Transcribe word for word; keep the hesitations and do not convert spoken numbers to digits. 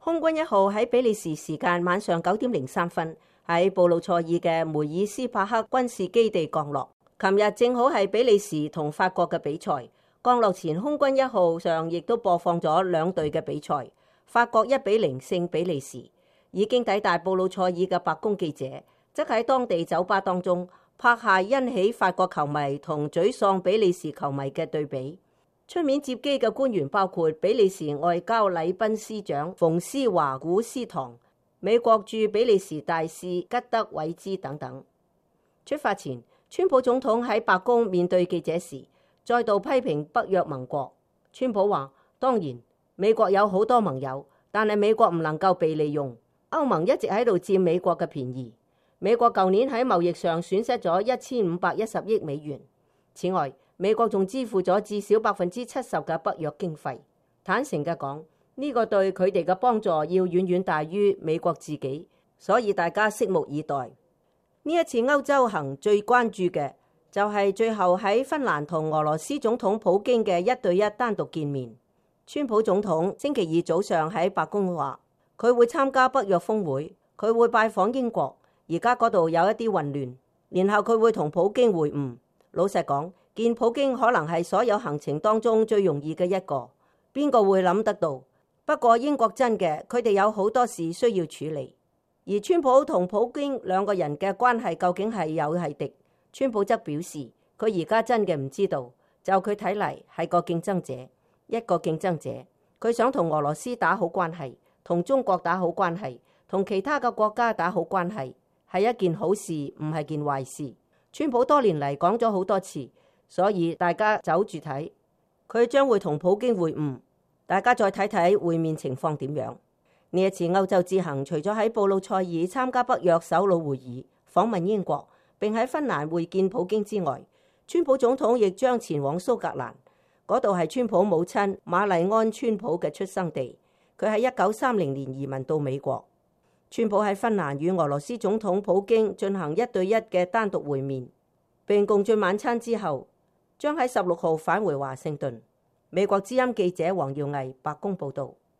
空軍一號喺比利時時間晚上九點零三分喺布魯塞爾嘅梅爾斯帕克軍事基地降落。琴日正好係比利時同法國嘅比賽，降落前空軍一號上亦都播放咗兩隊嘅比賽。法國一比零勝比利時。已經抵達布魯塞爾嘅白宮記者，則喺當地酒吧當中拍下欣喜法國球迷同沮喪比利時球迷嘅對比。出面接機嘅官員包括比利時外交禮賓司長馮斯華古斯唐、美國駐比利時大使吉德韋茲等等。出發前，川普總統喺白宮面對記者時，再度批評北約盟國。川普話：當然，美國有好多盟友，但係美國唔能夠被利用。歐盟一直喺度佔美國嘅便宜。美國舊年喺貿易上損失咗一千五百一十億美元。此外，美國仲支付咗至少百分之七十嘅北約經費。坦誠嘅講，呢個對佢哋嘅幫助要遠遠大於美國自己，所以大家拭目以待。呢一次歐洲行最關注嘅就係最後喺芬蘭同俄羅斯總統普京嘅一對一單獨見面。川普總統星期二早上喺白宮話，佢會參加北約峰會，佢會拜訪英國，而家嗰度有一啲混亂，然後佢會同普京會晤。老實講，見普京可能係所有行程當中最容易嘅一個，邊個會諗得到？不過英國真嘅，佢哋有好多事需要處理。而川普同普京兩個人嘅關係究竟係友係敵？川普則表示，佢而家真嘅唔知道，就佢睇嚟係個競爭者，一個競爭者，佢想同俄羅斯打好關係，同中國打好關係，同其他嘅國家打好關係，係一件好事，唔係件壞事。川普多年嚟講咗好多次，所以大家走住睇，佢將會同普京會晤，大家再睇睇會面情況點樣。呢一次歐洲之行，除咗喺布魯塞爾參加北約首腦會議、訪問英國，並喺芬蘭會見普京之外，川普總統亦將前往蘇格蘭，嗰度係川普母親瑪麗安川普嘅出生地。佢喺一九三零年移民到美國。川普喺芬蘭與俄羅斯總統普京進行一對一嘅單獨會面，並共進晚餐之後，將喺十六號返回華盛頓。美國之音記者黃耀毅白宮報道。